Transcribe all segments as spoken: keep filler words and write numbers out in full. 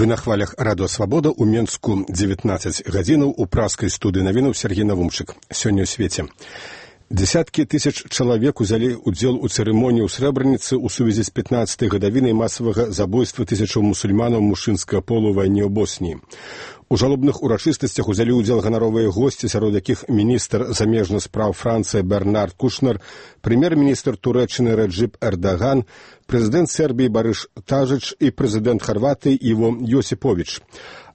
Вы на хвалях радыё Свабода ў Менску дзевятнаццаць гадзінаў у праскай студыі навінаў Сергей Навумчык. Сёння ў свеце. Дзесяткі тысяч чалавек узялі удзел у цырымоніі ў Срэбраніцы ў сувязі з пятнаццатай гадавінай масавага забойства тысячаў мусульманаў мужчынскага полу ў вайне ў Босніі. У жалобных урачыстасцях узялі ўдзел ганаровыя госці, сярод якіх міністр замежных спраў Францыі Бернард Кушнер, прэм'ер-міністр Турэччыны Реджеп Эрдаган, прэзідэнт Сербіі Барыш Тажыч і прэзідэнт Харватыі Іво Йосіповіч.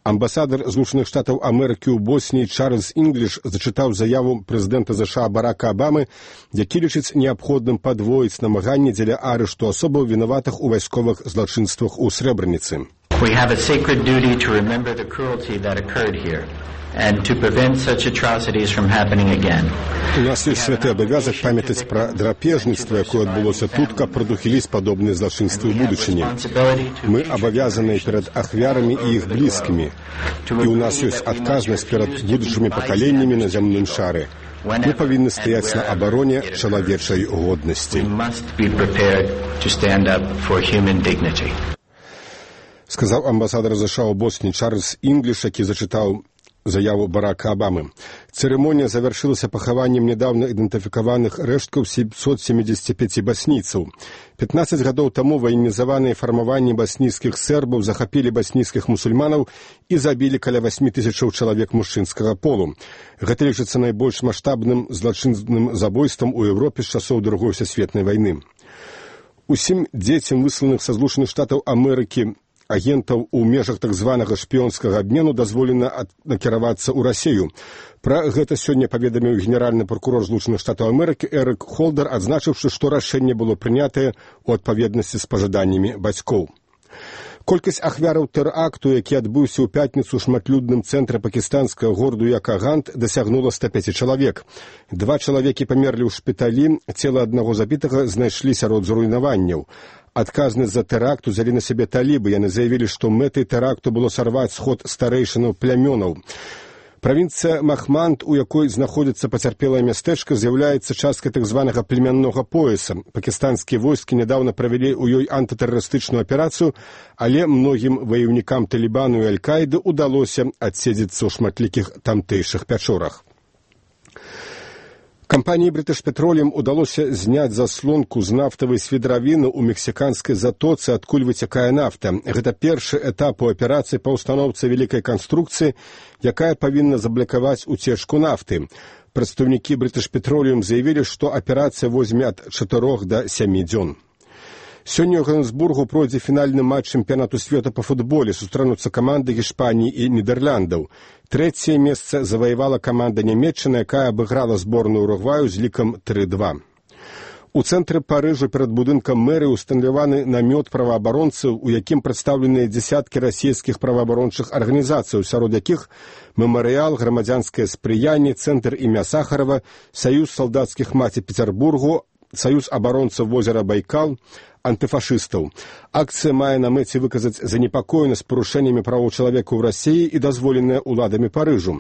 Амбасадар Злучаных Штатаў Амерыкі ў Босніі Чарльз Інгліш зачытаў заяву прэзідэнта ЗША Барака Абамы, які лічыць неабходным падвоіць намаганні дзеля арышту асобаў вінаватых у вайсковых злачынствах у Срэбраніцы. We have a sacred duty to remember the cruelty that occurred here and to prevent such atrocities from happening again. У нас ёсць святы абавязак памятаць пра драпежніцтва, якое адбылося тут, каб прадухіліць падобныя злачынствы ў будучыні. Мы абавязаныя перад ахвярамі і іх блізкімі. І ў нас ёсць адказнасць перад будучымі пакаленнямі на зямным шары. Мы павінны стаяць на абароне чалавечай годнасці. Сказаў амбасадар ЗША ў Босніі Чарльз Інгліш, які зачытаў заяву Барака Абамы. Цырымонія завяршылася пахаваннем нядаўна ідэнтыфікаваных рэшткаў сямсот семидесяти пяти баснійцаў. пятнаццаць гадоў таму ваенізаваныя фармаванні баснійскіх сербаў захапілі баснійскіх мусульманаў і забілі каля восьмі тысячаў чалавек мужчынскага полу. Гэта лічыцца найбольш маштабным злачынным забойствам у Еўропе з часоў Другой сусветнай вайны. Усім дзецям, высланых са Злучаных Штатаў Амерыкі, агентаў у межах так званага шпіёнскага абмену дазволена накіравацца ў Расію. Пра гэта сёння паведаміў генеральны пракурор Злучаных Штатаў Амерыкі Эрык Холдер, адзначыўшы, што рашэнне было прынятае ў адпаведнасці з пажаданнямі бацькоў. Колькасць ахвяраў тэракту, які адбыўся ў пятніцу ў шматлюдным цэнтры пакістанскага гораду Якагант, дасягнула ста пяці чалавек. Два чалавекі памерлі ў шпіталі, цела аднаго забітага знайшлі сярод зруйнаванняў. Адказнасць за тэракт узялі на сябе талібы. Яны заявілі, што мэтай тэракту было сарваць сход старэйшынаў плямёнаў. Правінцыя Махманд, у якой знаходзіцца пацярпелае мястэчка, з'яўляецца часткай так званага племяннога пояса. Пакістанскія войскі нядаўна правялі ў ёй антытэрарыстычную аперацыю, але многім ваяўнікам Талібану і Аль-Каіды ўдалося адседзецца ў шматлікіх тамтэйшых пячорах. Кампаніі British Petroleum удалося зняць заслонку з нафтавай свідравіны ў мексіканскай затоцы, адкуль выцякае нафта. Гэта першы этап у аперацыі па ўстаноўцы вялікай канструкцыі, якая павінна заблакаваць уцечку нафты. Прадстаўнікі British Petroleum заявілі, што аперацыя возьме ад чатырох да сямі дзён. Сёння ў Ганесбургу пройдзе фінальны матч чэмпіянату свету па футболе. Сустрануцца каманды Гішпаніі і Нідэрляндаў. Трэцяе месца заваявала каманда Нямецчыны, якая абыграла зборную Уругваю з лікам тры два. У цэнтры Парыжу перад будынкам мэрыі усталяваны намёт праваабаронцаў, у якім прадстаўленыя дзесяткі расійскіх праваабарончых арганізацый, сярод якіх мемарыял, грамадзянскае спрыянне, цэнтр імя Сахарова, саюз салдацкіх маці Петербургу, саюз абаронцаў возера Байкал, антыфашыстаў. Акцыя мае на мэце выказаць занепакоенасць парушэннямі правоў чалавека ў Расіі і дазволеныя ўладамі Парыжу.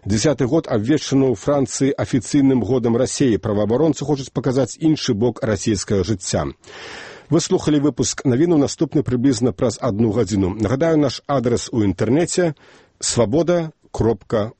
Дзесяты год абвешчаны ў Францыі афіцыйным годам Расіі. Праваабаронцы хочуць паказаць іншы бок расійскага жыцця. Вы слухалі выпуск навіну, наступны прыблізна праз адну гадзіну. Нагадаю, наш адрас у інтэрнэце свабода кропка